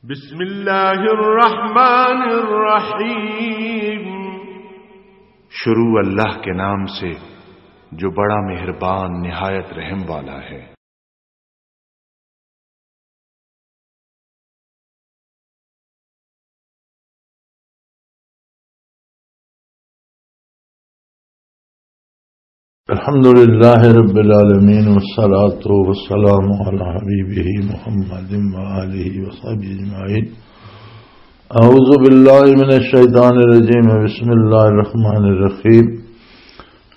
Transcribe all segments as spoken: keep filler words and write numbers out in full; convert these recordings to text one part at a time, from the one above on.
بسم اللہ الرحمن الرحیم۔ شروع اللہ کے نام سے، جو بڑا مہربان، نہایت رحم والا ہے۔ الحمد لله رب العالمين، والصلاة والسلام على حبيبه محمد وآله وصحبه أجمعين. أعوذ بالله من الشيطان الرجيم. بسم الله الرحمن الرحيم.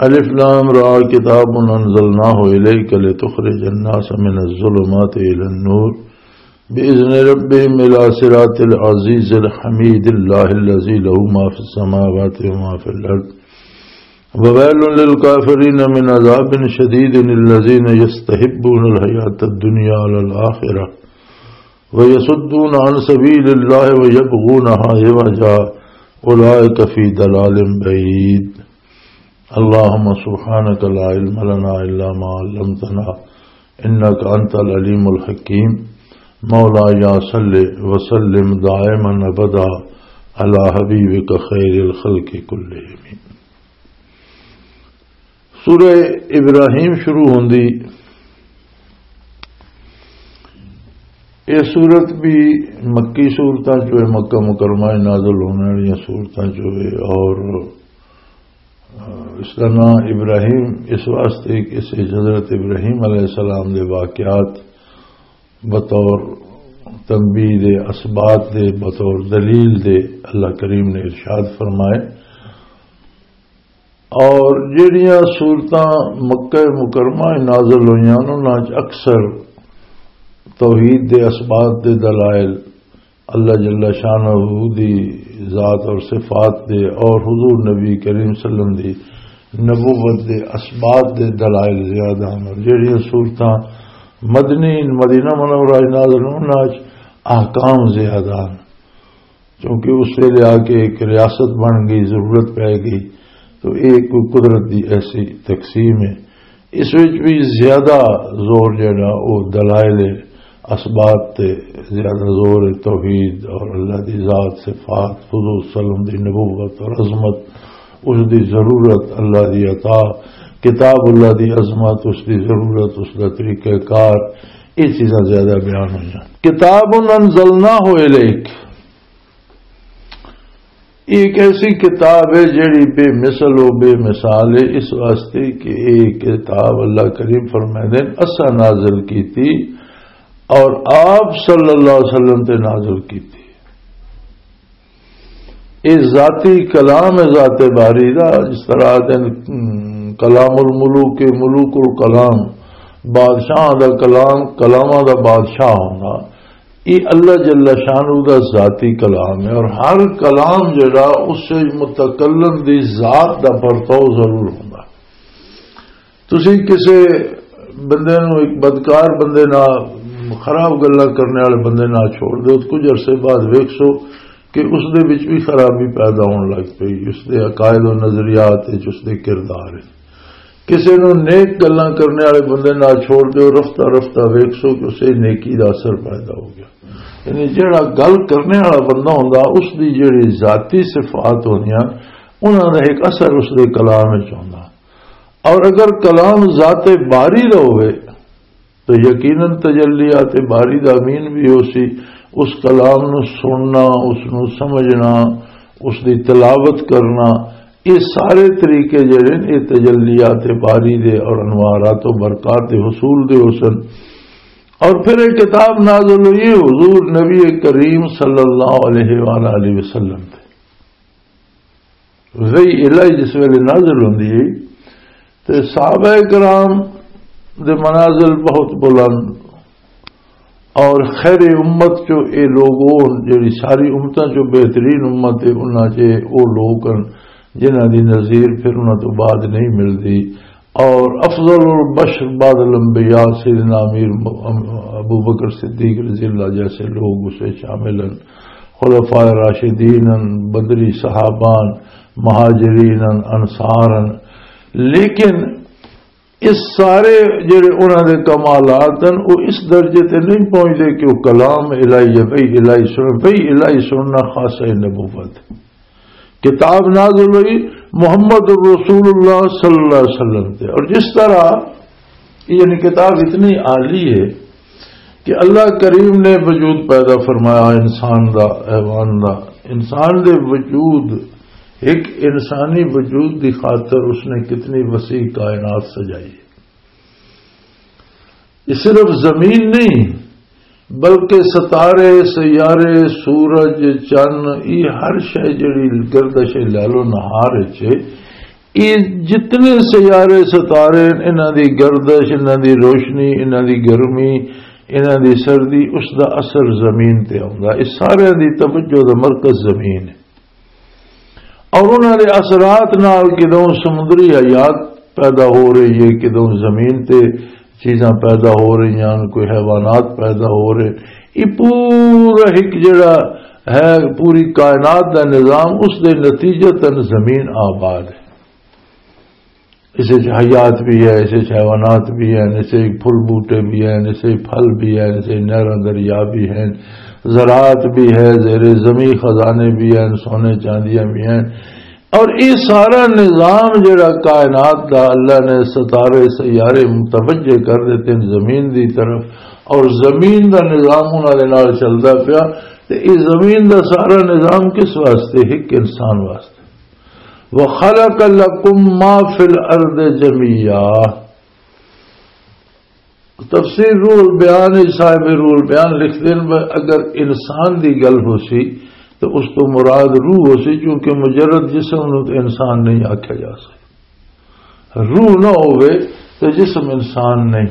ألف لام را، كتاب أنزلناه إليك لتخرج الناس من الظلمات إلى النور بإذن ربهم إلى صراط العزيز الحميد الله الذي له ما في السماوات وما في الأرض وويل للكافرين من عذاب شديد الذين يستحبون الحياة الدنيا على الآخرة ويصدون عن سبيل الله ويبغونها عوجا أولئك في ضلال بعيد. اللهم سبحانك لا علم لنا إلا ما علمتنا إنك أنت العليم الحكيم. مولاي صل وسلم دائما أبدا على حبيبك خير الخلق كلهم. سورہ ابراہیم شروع ہوندی۔ یہ سورت بھی مکی سورتاں چوں ہے، مکہ مکرمہ نازل ہونے والی سورتاں چوں ہے، اور اس کا نام ابراہیم اس واسطے کہ اس وچ حضرت ابراہیم علیہ السلام دے واقعات بطور تنبیہ دے، اثبات دے، بطور دلیل دے اللہ کریم نے ارشاد فرمائے۔ اور جڑیاں سورتاں مکہ مکرمہ وچ نازل ہوئیاں، انہاں وچ اکثر توحید دے اثبات دے دلائل، اللہ جل شانہ دی ذات اور صفات دے، اور حضور نبی کریم صلی اللہ علیہ وسلم دی نبوت دے اثبات دے دلائل زیادہ ہن۔ اور جڑیاں سورتاں مدنی، مدینہ منورہ وچ نازل ہن، انہاں وچ احکام زیادہ ہن، کیونکہ اس ویلے آ کے ایک ریاست بن گئی، ضرورت پی گئی، تو یہ کوئی قدرت دی ایسی تقسیم ہے۔ اس وچ بھی زیادہ زور جڑا او دلائل اثبات تے زیادہ زور ہے، توحید اور اللہ دی ذات، صفات، حضور صلی اللہ علیہ وسلم دی نبوت اور عظمت، اس دی ضرورت، اللہ دی عطا، کتاب اللہ دی عظمت، اس دی ضرورت، اس دا طریقہ کار، یہ چیزاں زیادہ بیان ہوئیاں۔ کتاب انزلناہ الیک، یہ ایک ایسی کتاب ہے جڑی بے مثل و بے مثال ہے، اس واسطے کہ یہ کتاب اللہ کریم فرمائے دے اسا نازل کی تھی اور آپ صلی اللہ علیہ وسلم تے نازل کی تھی۔ یہ ذاتی کلام ہے ذات باری دا، جس طرح آتے ہیں، کلام الملوک، ملوک الکلام، بادشاہ دا کلام، کلاماں دا بادشاہ ہونا۔ یہ اللہ جل شانہ دا ذاتی کلام ہے، اور ہر کلام جڑا اس متکلم دی ذات دا پرتو ضرور ہوندا۔ تسی کسے بندے نو، ایک بدکار بندے نال، خراب گلاں کرنے والے بندے نال چھوڑ دے، کچھ عرصے بعد ویکھسو کہ اس دے وچ بھی خرابی پیدا ہون لگ پئی، اس دے عقائد و نظریات وچ، اس دے کردار وچ۔ کسے نوں نیک گلاں کرنے والے بندے نال چھوڑ دیو، رفتہ رفتہ ویکھسو کہ اسے نیکی دا اثر پیدا ہو گیا۔ یعنی جڑا گل کرنے والا بندہ ہوندا، اس دی جڑی ذاتی صفات ہوندیاں، انہاں دا ایک اثر اس دے کلام وچ ہوندا۔ اور اگر کلام ذات باری دا ہوئے، تو یقیناً تجلیات باری دا امین بھی ہو سی، اس کلام نو سننا، اس نو سمجھنا، اس دی تلاوت کرنا، یہ سارے طریقے جڑے نے، یہ تجلیات باری دے اور انوارات و برکات دے حصول دے حسن۔ اور پھر ایک کتاب نازل ہوئی حضور نبی کریم صلی اللہ علیہ وآلہ وسلم تے۔ وحی الہی جس ویلے نازل ہوندی ہے، تے صحابہ کرام دے منازل بہت بلند، اور خیر امت چو اے لوگ ہون جڑی ساری امتاں چو بہترین امت ہے، انہاں چے او لوگ ہن جنہاں دی نظیر پھر انہاں تو بعد نہیں ملدی۔ اور افضل البشر بعد الانبیاء سیدنا امیر م-، ابو بکر صدیق رضی اللہ جیسے لوگ اسے شامل ہیں، خلفاء راشدین ہیں، بدری صحابان، مہاجرین ہیں، انصار ہیں۔ لیکن اس سارے جڑے انہاں دے کمالات ہیں، وہ اس درجے تے نہیں پہنچتے کہ وہ کلام الہی ہے، بھئی الہی سن، بھئی الہی سننا خاص ہے نبوت۔ کتاب نازل ہوئی محمد الرسول اللہ صلی اللہ علیہ وسلم تے، اور جس طرح، یعنی کتاب اتنی عالی ہے کہ اللہ کریم نے وجود پیدا فرمایا انسان دا، حیوان دا، انسان دے وجود، ایک انسانی وجود دی خاطر اس نے کتنی وسیع کائنات سجائی ہے۔ یہ صرف زمین نہیں، بلکہ ستارے، سیارے، سورج، چن، یہ ہر شے جڑی گردش لیل و نہار وچ، یہ جتنے سیارے، ستارے، انہاں دی گردش، انہاں دی روشنی، انہاں دی گرمی، انہاں دی سردی، اس دا اثر زمین تے آوندا۔ اس سارے دی توجہ دا مرکز زمین ہے۔ اور انہاں دے اثرات نال کدوں سمندری حیات پیدا ہو رہی ہے، کدوں زمین تے چیزاں پیدا ہو رہی ہیں، کوئی حیوانات پیدا ہو رہے۔ یہ پورا ایک جڑا ہے، پوری کائنات دا نظام، اس دے نتیجتاً زمین آباد ہے۔ اس وچ حیات بھی ہے، اس وچ حیوانات بھی ہیں، اس وچ پھل بوٹے بھی ہیں، اس وچ پھل بھی ہیں، اس وچ نہراں دریا بھی ہیں، زراعت بھی ہے، زیر زمین خزانے بھی ہیں، سونے چاندیاں بھی ہیں۔ اور یہ سارا نظام جڑا کائنات دا اللہ نے ستارے سیارے متوجہ کر دیتے ہیں زمین دی طرف، اور زمین دا نظام انہاں دے نال چلدا پیا۔ تے یہ زمین دا سارا نظام کس واسطے؟ ایک انسان واسطے۔ وَخَلَقَ لَكُم مَّا فِي الْأَرْضِ جَمِيعًا۔ تفسیر روح البیان وچ صاحب روح البیان لکھتے ہیں، اگر انسان دی گل ہو سی تو اس تو مراد روح ہو سی، کیونکہ مجرد جسم نو تو انسان نہیں آکھیا جا سکتا۔ روح نہ ہووے تو جسم انسان نہیں۔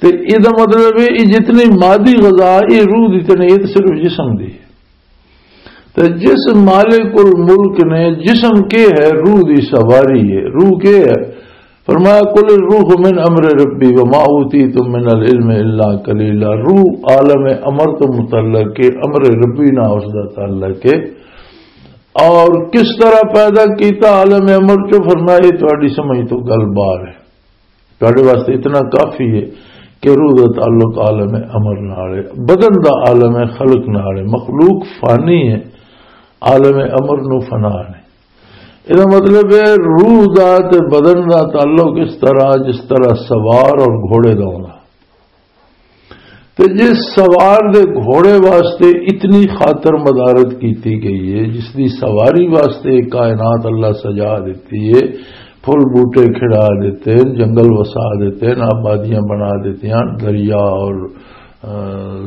تے اے دا مطلب ہے، یہ جتنی مادی غذا، یہ روح دی تے نہیں، یہ تے صرف جسم دی ہے۔ تے جس مالک الملک نے جسم کے ہے، روح دی سواری ہے۔ روح کے ہے؟ فرمایا، "قل الروح من امر ربی وما اوتیتم من العلم الا قلیلا۔" روح عالم امر تو متعلق ہے، امر ربی نہ اس دا تعلق ہے۔ اور کس طرح پیدا کیتا عالم امر چو؟ فرمایا، یہ تہاڈی سمجھ تو گل باہر ہے۔ تہاڈے واسطے اتنا کافی ہے کہ روح دا تعلق عالم امر نال ہے، بدن دا عالم خلق نال ہے، مخلوق فانی ہے، عالم امر نو فنا نہیں۔ یہ مطلب ہے، روح دا تے بدن دا تعلق اس طرح، جس طرح سوار اور گھوڑے دا ہونا۔ تے جس سوار دے گھوڑے واسطے اتنی خاطر مدارت کیتی گئی ہے، جس دی سواری واسطے کائنات اللہ سجا دیتی ہے، پھل بوٹے کھڑا دیتے ہیں، جنگل وسا دیتے ہیں، آبادیاں بنا دیتے ہیں، دریا اور، آ،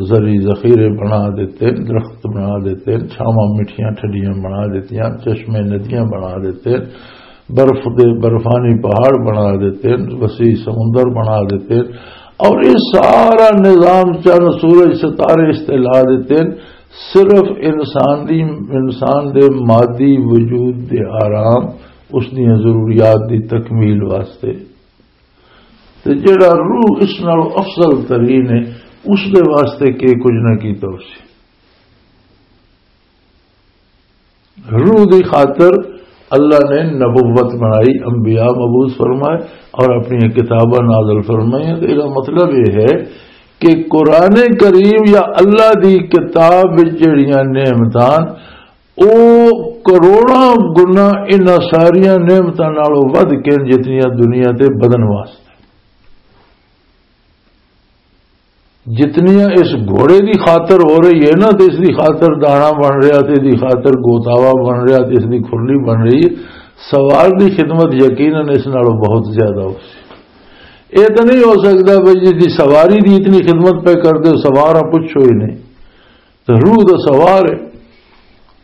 زرعی ذخیرے بنا دیتے ہیں، درخت بنا دیتے ہیں، چھاواں مٹھیاں ٹھڈیاں بنا دیتے ہیں، چشمے ندیاں بنا دیتے ہیں، برف دے، برفانی پہاڑ بنا دیتے ہیں، وسیع سمندر بنا دیتے ہیں، اور یہ سارا نظام، چند، سورج، ستارے اس تے لا دیتے ہیں، صرف انسان دی، انسان دے مادی وجود دے آرام، اس دیاں ضروریات دی تکمیل واسطے۔ تے جڑا روح اس نال افضل ترین ہے، اس دے واسطے کہ کچھ نہ کیتا اسی۔ روح دی خاطر اللہ نے نبوت بنائی، انبیاء مبعوث فرمائے اور اپنی کتاباں نازل فرمائیاں۔ تو اس دا مطلب یہ ہے کہ قرآن کریم یا اللہ دی کتاب وچ جڑیاں نعمتاں، او کروڑاں گنا انہاں ساریاں نعمتاں نالوں ودھ کے جتنیاں دنیا تے بدن واسطے۔ جتنیاں اس گھوڑے دی خاطر ہو رہی ہے نا، تے اس دی خاطر دانا بن رہا، تے اس دی خاطر گوتاوا بن رہا، تے اس دی کھرلی بن رہی ہے، سوار دی خدمت یقیناً اس نالوں بہت زیادہ ہو سی۔ اے تو نہیں ہو سکتا بھئی جس دی سواری دی اتنی خدمت پہ کر دے، سوار آ، پوچھو ہی نہیں۔ تے روح دا سوار ہے۔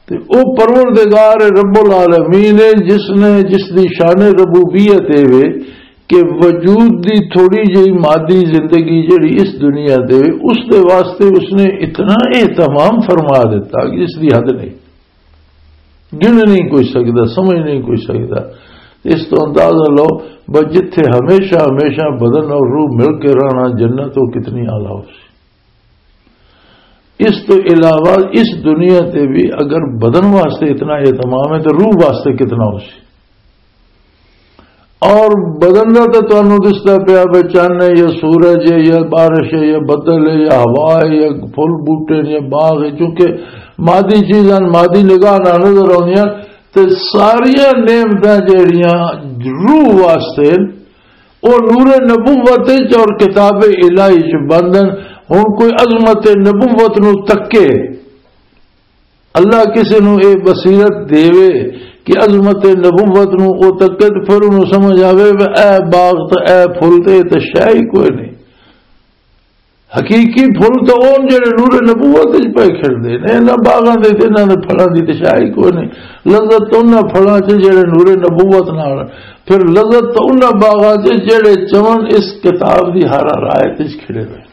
تے او پروردگار رب العالمین ہے، جس نے، جس دی شان ربوبیت ہے وے کہ وجود دی تھوڑی جہی مادی زندگی جڑی اس دنیا تے وے، اس دے واسطے اس نے اتنا اہتمام فرما دیتا کہ اس دی حد نہیں، گن نہیں کوئی سکدا، سمجھ نہیں کوئی سکدا۔ اس تو اندازہ لو، بس جتھے ہمیشہ ہمیشہ بدن اور روح مل کے رہنا، جنت وہ کتنی اعلیٰ ہو سی۔ اس تو علاوہ اس دنیا تے بھی اگر بدن واسطے اتنا اہتمام ہے تو روح واسطے کتنا ہو سی؟ اور بدن دا تے تانوں دسدا پیا، بے چن ہے یا سورج ہے یا بارش ہے یا بدل ہے یا ہوا ہے یا پھل بوٹے نے یا باغ ہے، چونکہ مادی چیزاں مادی نگاہ نال نظر آؤندیاں۔ تے ساریاں نعمتاں جہڑیاں روح واسطے، او نور نبوت وچ اور کتاب الہی چ بندن۔ ہن کوئی عظمت نبوت نو تکے، اللہ کسی نو اے بصیرت دیوے کہ عظمت نبوت نو او تکے، تے پھر انہوں سمجھ آوے، "اے باغ تے اے پھل تے، اے تے شے ہی کوئی نہیں۔" حقیقی پھل تے اون جڑے نور نبوت وچ پے کھڑدے نے، انہاں باغاں دے تے انہاں دے پھلاں دی تے شے ہی کوئی نہیں۔ لذت تے انہاں پھلاں چ جڑے نور نبوت نال، پھر لذت تے انہاں باغاں چ جڑے چمن اس کتاب دی ہر ہر آیت وچ کھڑے ہوئے۔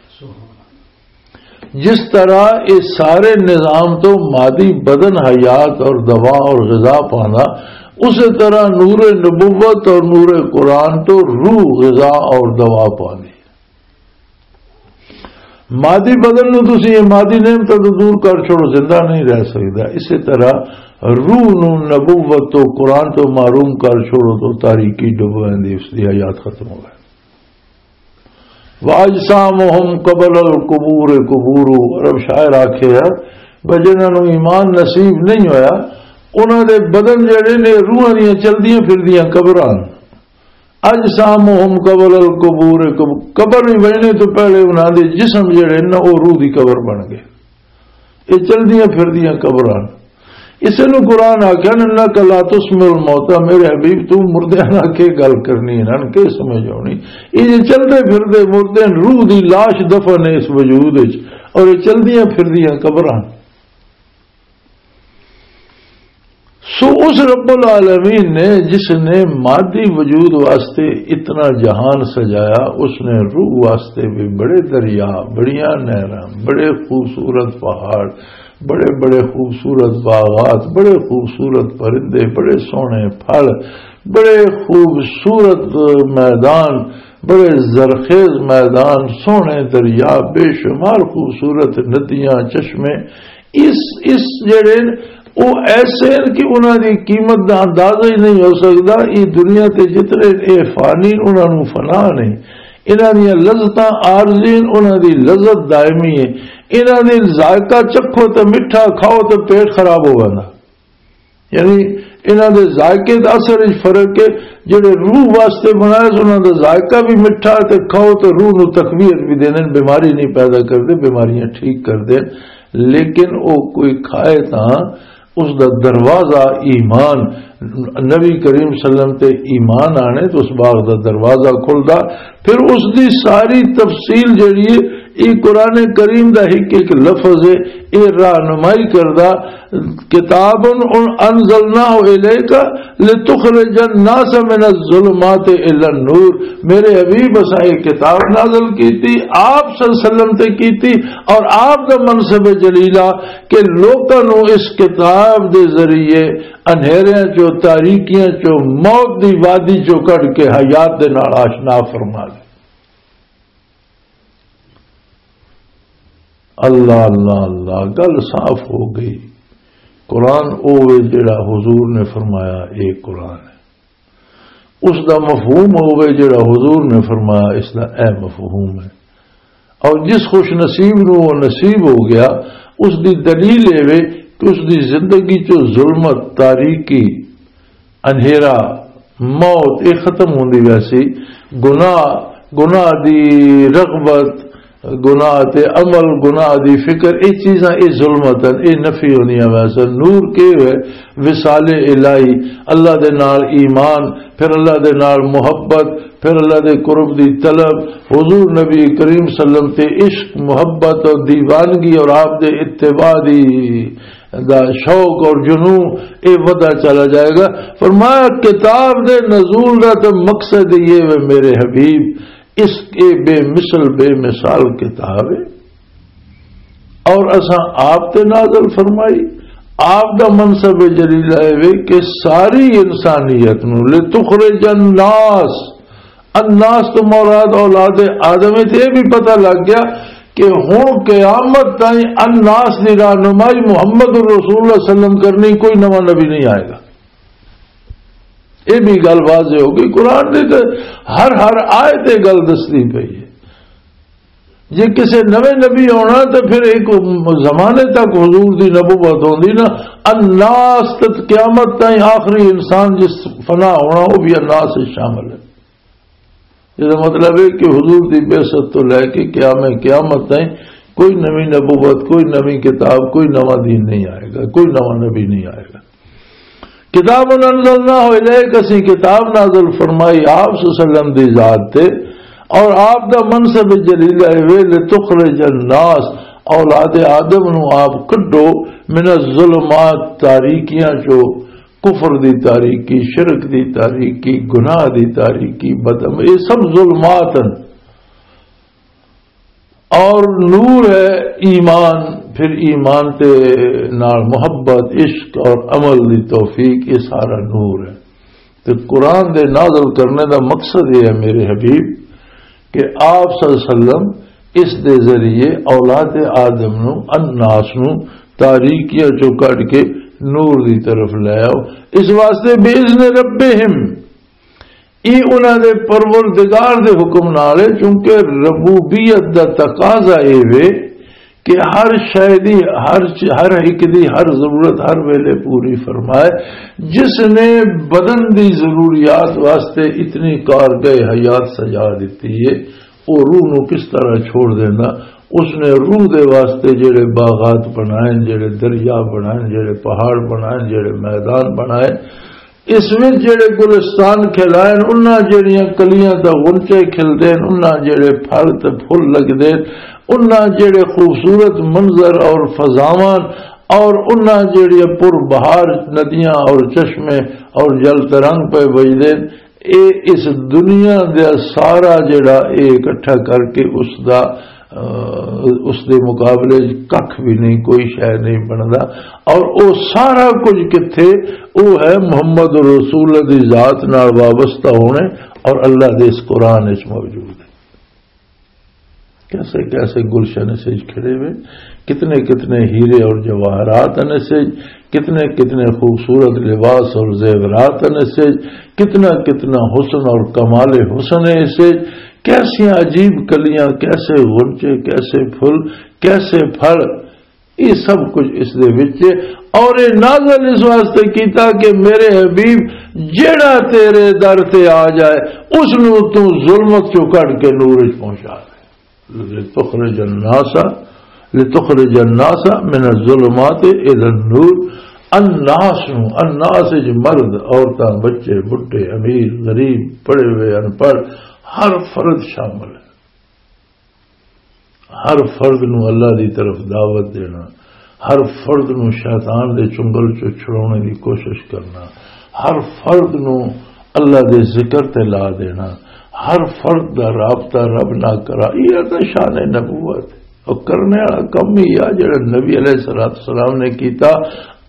جس طرح یہ سارے نظام تو مادی بدن حیات اور دوا اور غذا پاندا، اسی طرح نور نبوت اور نور قرآن تو روح غذا اور دوا پاندی۔ مادی بدن نو تسی یہ مادی نعمتاں تو دور کر چھوڑو، زندہ نہیں رہ سکدا۔ اسی طرح روح نو نبوت تو، قرآن تو محروم کر چھوڑو تو تاریکی ڈبویندی، اس دی حیات ختم ہو گئی۔ وَأَجْسَامُهُمْ قَبْلَ الْقُبُورِ قُبُورٌ۔ عرب شاعر آکھے ہے، بھئی جنہاں نوں ایمان نصیب نہیں ہویا، انہاں دے بدن جڑے نے روحاں دیاں چلدیاں پھردیاں قبراں۔ اجسامہم قبل القبور، قب-، قبر وی وینے تو پہلے انہاں دے جسم جڑے نا، او روح دی قبر بن گئے۔ یہ چلدیاں پھردیاں قبراں۔ اسے نو قرآن آکھیا، "انک لا تسمع الموتى"، میرے حبیب تو مردے نال کے گل کرنی، انہاں کے سمجھ آونی؟ یہ جے چلدے پھردے مردے، روح دی لاش دفن ہے اس وجود وچ، اور یہ چلدیاں پھردیاں قبراں۔ سو اس رب العالمین نے، جس نے مادی وجود واسطے اتنا جہان سجایا، اس نے روح واسطے بھی بڑے دریا، بڑیاں نہراں، بڑے خوبصورت پہاڑ، بڑے بڑے خوبصورت باغات، بڑے خوبصورت پرندے، بڑے سوہنے پھل، بڑے خوبصورت میدان، بڑے زرخیز میدان، سوہنے دریا، بے شمار خوبصورت ندیاں، چشمے، اس، اس جڑے ن، او ایسے ہیں کہ انہاں دی قیمت دا اندازہ ہی نہیں ہو سکدا۔ یہ دنیا تے جتنے اے فانی، انہاں نوں فنا نہیں۔ انہاں دیاں لذتاں عارضی ہیں، انہاں دی لذت دائمی ہے۔ انہاں دی ذائقہ چکھو تے مٹھا، کھاؤ تے پیٹ خراب ہو ویندا۔ یعنی انہاں دے ذائقے دا اثر وچ فرق ہے۔ جڑے روح واسطے بنائے سن، انہاں دا ذائقہ بھی مٹھا تے کھاؤ تے روح نو تقویت بھی دینے، بیماری نہیں پیدا کردے، بیماریاں ٹھیک کردے۔ لیکن او کوئی کھائے تاں اس دا دروازہ ایمان، نبی کریم صلی اللہ علیہ وسلم تے ایمان آنے تو اس باغ دا دروازہ کھلدا۔ پھر اس دی ساری تفصیل جڑی ہے، یہ قرآن کریم دا ایک ایک لفظ ہے، یہ رہنمائی کردا۔ کتاب انزلناہ الیک لتخرج الناس من الظلمات الی النور۔ میرے حبیب، اساں یہ کتاب نازل کیتی، آپ صلی اللہ علیہ وسلم تے کیتی، اور آپ دا منصب جلیلہ کہ لوکاں نوں اس کتاب دے ذریعے انہیریاں چوں، تاریکیاں چوں، موت دی وادی چوں کڈ کے حیات دے نال آشنا فرما دے۔ اللہ، اللہ، اللہ، گل صاف ہو گئی۔ قرآن او وے جڑا حضور نے فرمایا، اے قرآن ہے۔ اس دا مفہوم ہو گئے جڑا حضور نے فرمایا، اس دا اے مفہوم ہے۔ اور جس خوش نصیب نو وہ نصیب ہو گیا، اس دی دلیل اے وے کہ اس دی زندگی چو ظلمت، تاریکی، انہیرا، موت، یہ ختم ہوندی ویسی۔ گناہ، گناہ دی رغبت، گناہ تے عمل، گناہ دی فکر، یہ چیزاں، یہ ظلمت ہیں، یہ نفی ہوندیاں ویسے۔ نور کے ہوئے؟ وصال الہی، اللہ دے نال ایمان، پھر اللہ دے نال محبت، پھر اللہ دے قرب دی طلب، حضور نبی کریم صلی اللہ علیہ وسلم تے عشق، محبت اور دیوانگی اور آپ دے اتباع دی دا شوق اور جنون، اے ودا چلا جائے گا۔ فرمایا، کتاب دے نزول دا تے مقصد یہ وے میرے حبیب، اس کے بے مثل، بے مثال کتاب ہے۔ اور اساں آپ تے نازل فرمائی۔ آپ دا منصب جلیلہ اے وے کہ ساری انسانیت نو، لتخرج الناس، الناس تو مراد اولاد آدم ہے۔ تے یہ بھی پتہ لگ گیا کہ ہن قیامت تائیں الناس دی رہنمائی محمد الرسول اللہ صلی اللہ علیہ وسلم کرنی، کوئی نواں نبی نہیں آئے گا۔ یہ بھی گل واضح ہو گئی۔ قرآن دی تے ہر، ہر آیت یہ گل دسدی پئی ہے۔ جے کسے نویں نبی آنا تو پھر ایک زمانے تک حضور دی نبوت ہوندی نا، الناس تک قیامت تائیں آخری انسان جس فنا ہونا، وہ بھی الناس وچ شامل ہے۔ یہ مطلب ہے کہ حضور دی بعثت تو لے کے قیام قیامت تائیں کوئی نویں نبوت، کوئی نویں کتاب، کوئی نواں دین نہیں آئے گا، کوئی نواں نبی نہیں آئے گا۔ کتاب انزلناہ الیک، اسی کتاب نازل فرمائی آپ صلی اللہ علیہ وسلم دی ذات تے، اور آپ دا منصب جلیلہ ہے، لتخرج الناس، اولاد آدم نو آپ کڈو، من الظلمات، تاریکیاں چو، کفر دی تاریکی، شرک دی تاریکی، گناہ دی تاریکی، بدعم، یہ سب ظلمات ہیں۔ اور نور ہے ایمان، پھر ایمان تے نال محبت، عشق اور عمل دی توفیق، یہ سارا نور ہے۔ تے قرآن دے نازل کرنے دا مقصد یہ ہے میرے حبیب، کہ آپ صلی اللہ علیہ وسلم اس دے ذریعے اولاد آدم نو، الناس نو، تاریکیاں چوں کڈ کے نور دی طرف لے آؤ۔ اس واسطے بِإِذْنِ رَبِّهِمْ، یہ انہاں دے پروردگار دے حکم نال ہے، چونکہ ربوبیت دا تقاضا اے وے کہ ہر شے دی، ہر چ-، ہر ایک دی ہر ضرورت ہر ویلے پوری فرمائے۔ جس نے بدن دی ضروریات واسطے اتنی کارگاہ حیات سجا دیتی ہے، وہ روح نو کس طرح چھوڑ دینا؟ اس نے روح دے واسطے جڑے باغات بنائے، جڑے دریا بنائے، جڑے پہاڑ بنائے، جڑے میدان بنائے، اس وچ جڑے گلستان کھلائے، انہاں جڑیاں کلیاں تے غنچے کھلدے نے، انہاں جڑے پھل تے پھل لگدے، انہاں جڑے خوبصورت منظر اور فضاواں اور انہاں جڑیاں پر بہار ندیاں اور چشمے اور جل ترنگ پہ بجدے، اے اس دنیا دا سارا جڑا اے اکٹھا کر کے اس دا، آ، اس دے مقابلے وچ ککھ بھی نہیں، کوئی شے نہیں بندا۔ اور او سارا کچھ کتھے؟ او ہے محمد رسول دی ذات نال وابستہ ہونے اور اللہ دے اس قرآن وچ موجود ہے۔ کیسے کیسے گلشن سے کھڑے ہوئے، کتنے کتنے ہیرے اور جواہرات ہیں سے، کتنے کتنے خوبصورت لباس اور زیورات ہیں سے، کتنا کتنا حسن اور کمال حسن ہے اسے، کیسے عجیب کلیاں، کیسے غنچے، کیسے پھول، کیسے پھل، یہ سب کچھ اس دے وچ ہے۔ اور یہ نازل اس واسطے کیتا کہ میرے حبیب، جڑا تیرے در تے آ جائے، اس نو تو ظلمت چوں کڈ کے نور وچ پہنچا دے۔ لتخرج الناس، لتخرج الناس من الظلمات الی النور۔ الناس نو، الناس وچ مرد، عورتاں، بچے، بڈھے، امیر، غریب، پڑھے ہوئے، ان پڑھ، ہر فرد شامل ہے۔ ہر فرد نو اللہ دی طرف دعوت دینا، ہر فرد نو شیطان دے چنگل چوں چھڑاونے دی کوشش کرنا، ہر فرد نو اللہ دے ذکر تے لا دینا، ہر فرد دا رابطہ رب نال کرا، یہ تے شان نبوت ہے۔ اور کرنے والا کم ہی آ جڑا نبی علیہ الصلوۃ والسلام نے کیتا۔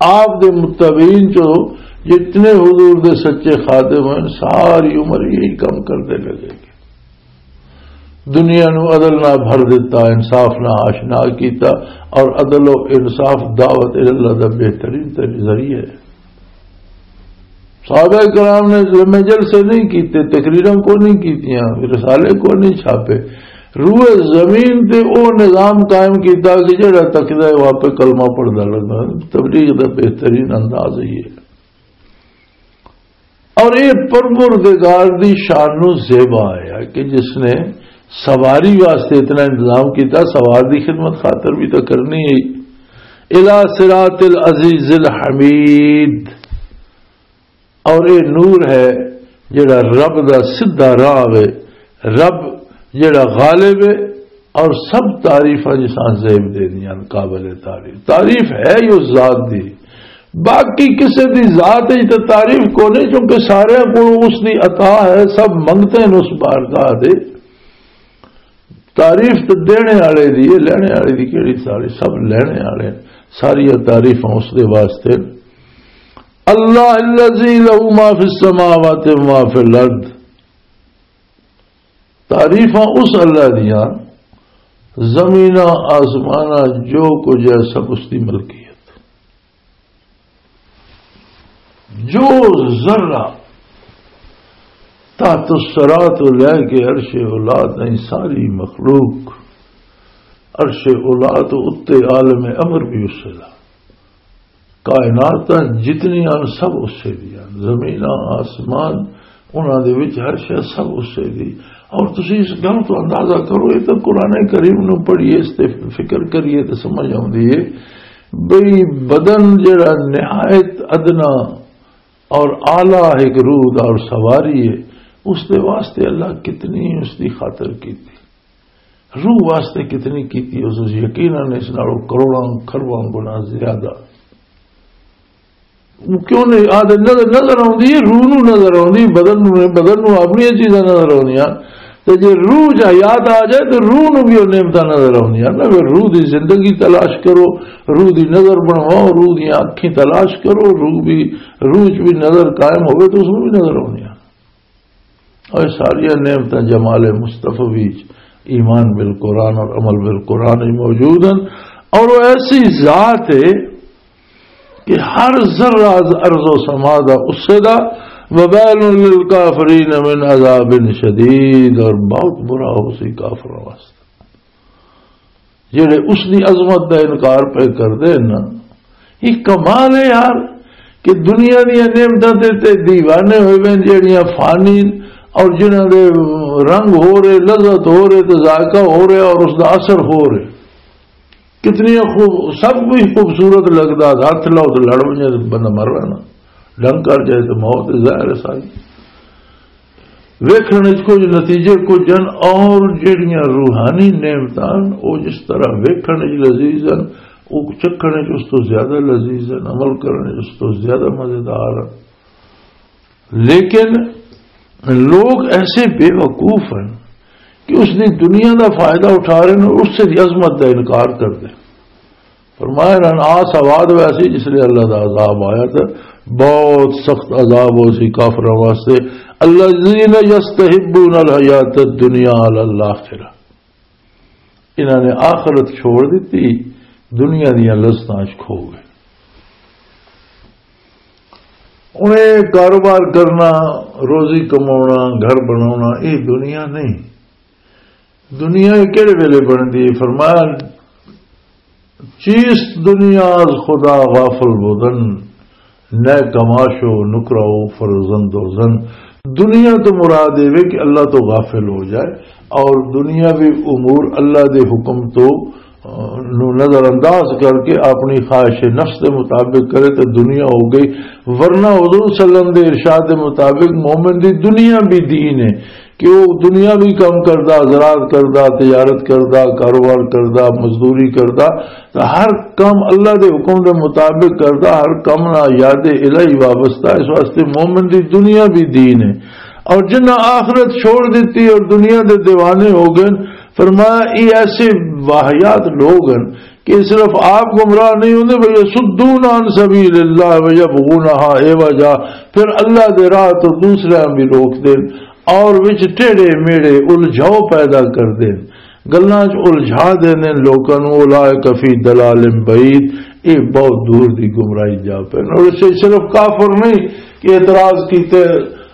آپ دے متبعین چوں جتنے حضور دے سچے خادم ہیں، ساری عمر یہی کم کرتے لگے۔ دنیا نو عدل نہ بھر دیتا، انصاف نہ آشنا کیتا، اور عدل و انصاف دعوت اللہ دا بہترین تر-، ذریعہ ہے۔ صحابہ کرام نے لمے جلسے نہیں کیتے، تقریراں کو نہیں کیتیاں، رسالے کو نہیں چھاپے۔ روئے زمین تے او نظام قائم کیتا کہ جڑا تکدا ہے وہاں پہ کلمہ پڑھدا لگا۔ تبلیغ دا بہترین انداز ہی ہے۔ اور یہ پروردگار دی شان نو زیبا آیا کہ جس نے سواری واسطے اتنا انتظام کیتا، سوار دی خدمت خاطر بھی تو کرنی ہے۔ الی صراط العزیز الحمید۔ اور یہ نور ہے جڑا رب دا سیدھا راہ ہے، رب جڑا غالب ہے، اور سب تعریفاں جساں زیب دے دیاں قابل تعریف۔ تعریف ہے ہی اس ذات دی، باقی کسے دی ذات وچ تے تعریف کو نہیں، کیونکہ سارے کو اس دی عطا ہے، سب منگتے ہیں اس بارگاہ دے۔ تعریف تے دینے والے دی ہے، لینے والے دی کیڑی؟ ساری سب لینے والے، ساری تعریفاں اس دے واسطے۔ اللہ الذی لہ ما فی السماوات و ما فی الارض۔ تعریفاں اس اللہ دیاں، زمیناں آسماناں جو کچھ ہے سب اس دی ملکیت۔ جو ذرہ تحت الثری تو لے کے عرش اولا تائیں ساری مخلوق، عرش اولا تو اتے عالم امر بھی اسے دا۔ کائنات جتنیاں سب اسے دیاں، زمیناں، آسمان، انہاں دے وچ ہر شے سب اسے دی۔ اور تسی اس گل تو اندازہ کرو، یہ تو قرآن کریم نو پڑھیے، اس تے فکر کریے تو سمجھ آؤندی ہے بھئی بدن جڑا نہایت ادنا اور اعلیٰ ایک روح دا اور سواری ہے، اس دے واسطے اللہ کتنی اس دی خاطر کیتی، روح واسطے کتنی کیتی، اس یقیناً اس نالوں کروڑاں کھرباں گنا زیادہ۔ وہ کیوں نہیں آدھے؟ نظر، نظر آؤندی ہے، روح نو نظر آؤندی، بدن نو نہیں، بدن نو اپنی چیزاں نظر آؤندیاں۔ تے جے روح چ حیات آ جائے تے روح نو بھی وہ نعمتاں نظر آؤندیاں نا۔ پھر روح دی زندگی تلاش کرو، روح دی نظر بنواؤ، روح دی اکھیں تلاش کرو، روح بھی، روح چ بھی نظر قائم ہوئے تو اس نو بھی نظر آؤندیاں۔ اور ساری نعمتاں جمال مصطفی وچ، ایمان بالقرآن اور عمل بالقرآن وچ موجود ہیں۔ اور وہ ایسی ذات ہے کہ ہر ذرہ از ارض و سما دا اسے دا، وبال للکافرین من عذاب شدید، اور بہت برا ہو سی کافروں واسطے۔ جڑے اس دی عظمت دا انکار پہ کردے نا، یہ کمال ہے یار، کہ دنیا دیاں نعمتاں تے تے دیوانے ہوئے وین، جڑیاں فانی اور جنہاں دے رنگ ہو رہے، لذت ہو رہے، تے ذائقہ ہو رہے اور اس دا اثر ہو رہے۔ کتنی خوب، سب کچھ خوبصورت لگدا، ہاتھ لاؤ تے لڑ ونجے تے بندہ مر رہنا، ڈنگ کر جائے تے موت ظاہر ہے ساری۔ ویکھن وچ کچھ نتیجے کچھ ہن، اور جڑیاں روحانی نعمتاں ہن، او جس طرح ویکھن وچ لذیذ ہن، او چکھن وچ اس تو زیادہ لذیذ ہن، عمل کرن وچ اس تو زیادہ مزیدار ہن۔ لیکن لوگ ایسے بے وقوف ہیں کہ اس دی دنیا دا فائدہ اٹھا رہے ہیں اور اس سے عظمت دا انکار کر دے۔ فرمایا انہاں آس آباد ویسی جس لیے اللہ دا عذاب آیا تھا، بہت سخت عذاب ہو سی کافروں واسطے۔ الذین یستحبون الحیات الدنیا علی الاخرہ، انہاں نے آخرت چھوڑ دیتی، دنیا دیاں لذتاں وچ کھو گئے۔ انہیں کاروبار کرنا، روزی کماؤنا، گھر بناؤنا، یہ دنیا نہیں۔ دنیا کہڑے ویلے بندی ہے؟ فرمایا، چیست دنیا از خدا غافل بودن، نئے کماش و نکرہ و فرزند و زن۔ دنیا تو مراد یہ وے کہ اللہ تو غافل ہو جائے اور دنیاوی امور اللہ دے حکم تو، آ، نو نظر انداز کر کے اپنی خواہش نفس دے مطابق کرے تو دنیا ہو گئی۔ ورنہ حضور صلی اللہ علیہ وسلم دے ارشاد دے مطابق مومن دی دنیا بھی دین ہے۔ کہ وہ دنیاوی کم کردا، زراعت کردا، تجارت کردا، کاروبار کردا، مزدوری کردا، تے ہر کم اللہ دے حکم دے مطابق کردا، ہر کم نہ یاد الہی وابستہ، اس واسطے مومن دی دنیا بھی دین ہے۔ اور جنہاں آخرت چھوڑ دیتی اور دنیا دے دیوانے ہو گئے، فرمایا، یہ ایسے واحیات لوگ ہیں کہ صرف آپ گمراہ نہیں ہوندے، بھئی یصدون عن سبیل اللہ ویبغونہا عوجا، پھر اللہ دے راہ تو دوسرے بھی روک دین اور وچ ٹیڑے میڑے الجھاؤ پیدا کر دین، گلاں چ الجھا دین لوکاں نوں۔ اولئک فی ضلال بعید، یہ بہت دور دی گمراہی جا پے۔ اور اس سے صرف کافر نہیں کہ اعتراض کیتے،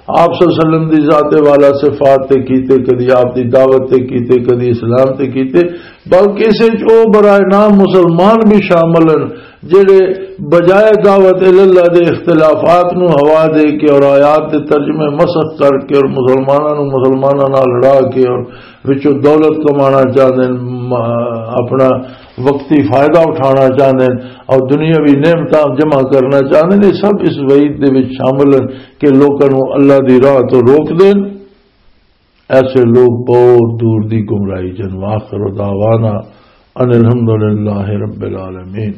آپ صلی اللہ علیہ وسلم دی ذات والا صفات تے کیتے، کدی آپ دی دعوت تے کیتے، کدی اسلام تے کیتے، بلکہ اس وچ او برائے نام مسلمان بھی شامل ہیں، جڑے بجائے دعوت اللہ دے اختلافات نو ہوا دے کے اور آیات دے ترجمے مسخ کر کے اور مسلماناں نو مسلماناں نال لڑا کے اور وچوں دولت کمانا چاہندے ہیں، م-، اپنا وقتی فائدہ اٹھانا چاہندے ہیں اور دنیاوی نعمتاں جمع کرنا چاہندے ہیں، یہ سب اس وعید دے وچ شامل ہیں کہ لوکاں نو اللہ دی راہ تو روک دین۔ ایسے لوگ بہت دور دی گمراہی جن۔ وآخر دعوانا ان الحمدللہ رب العالمین۔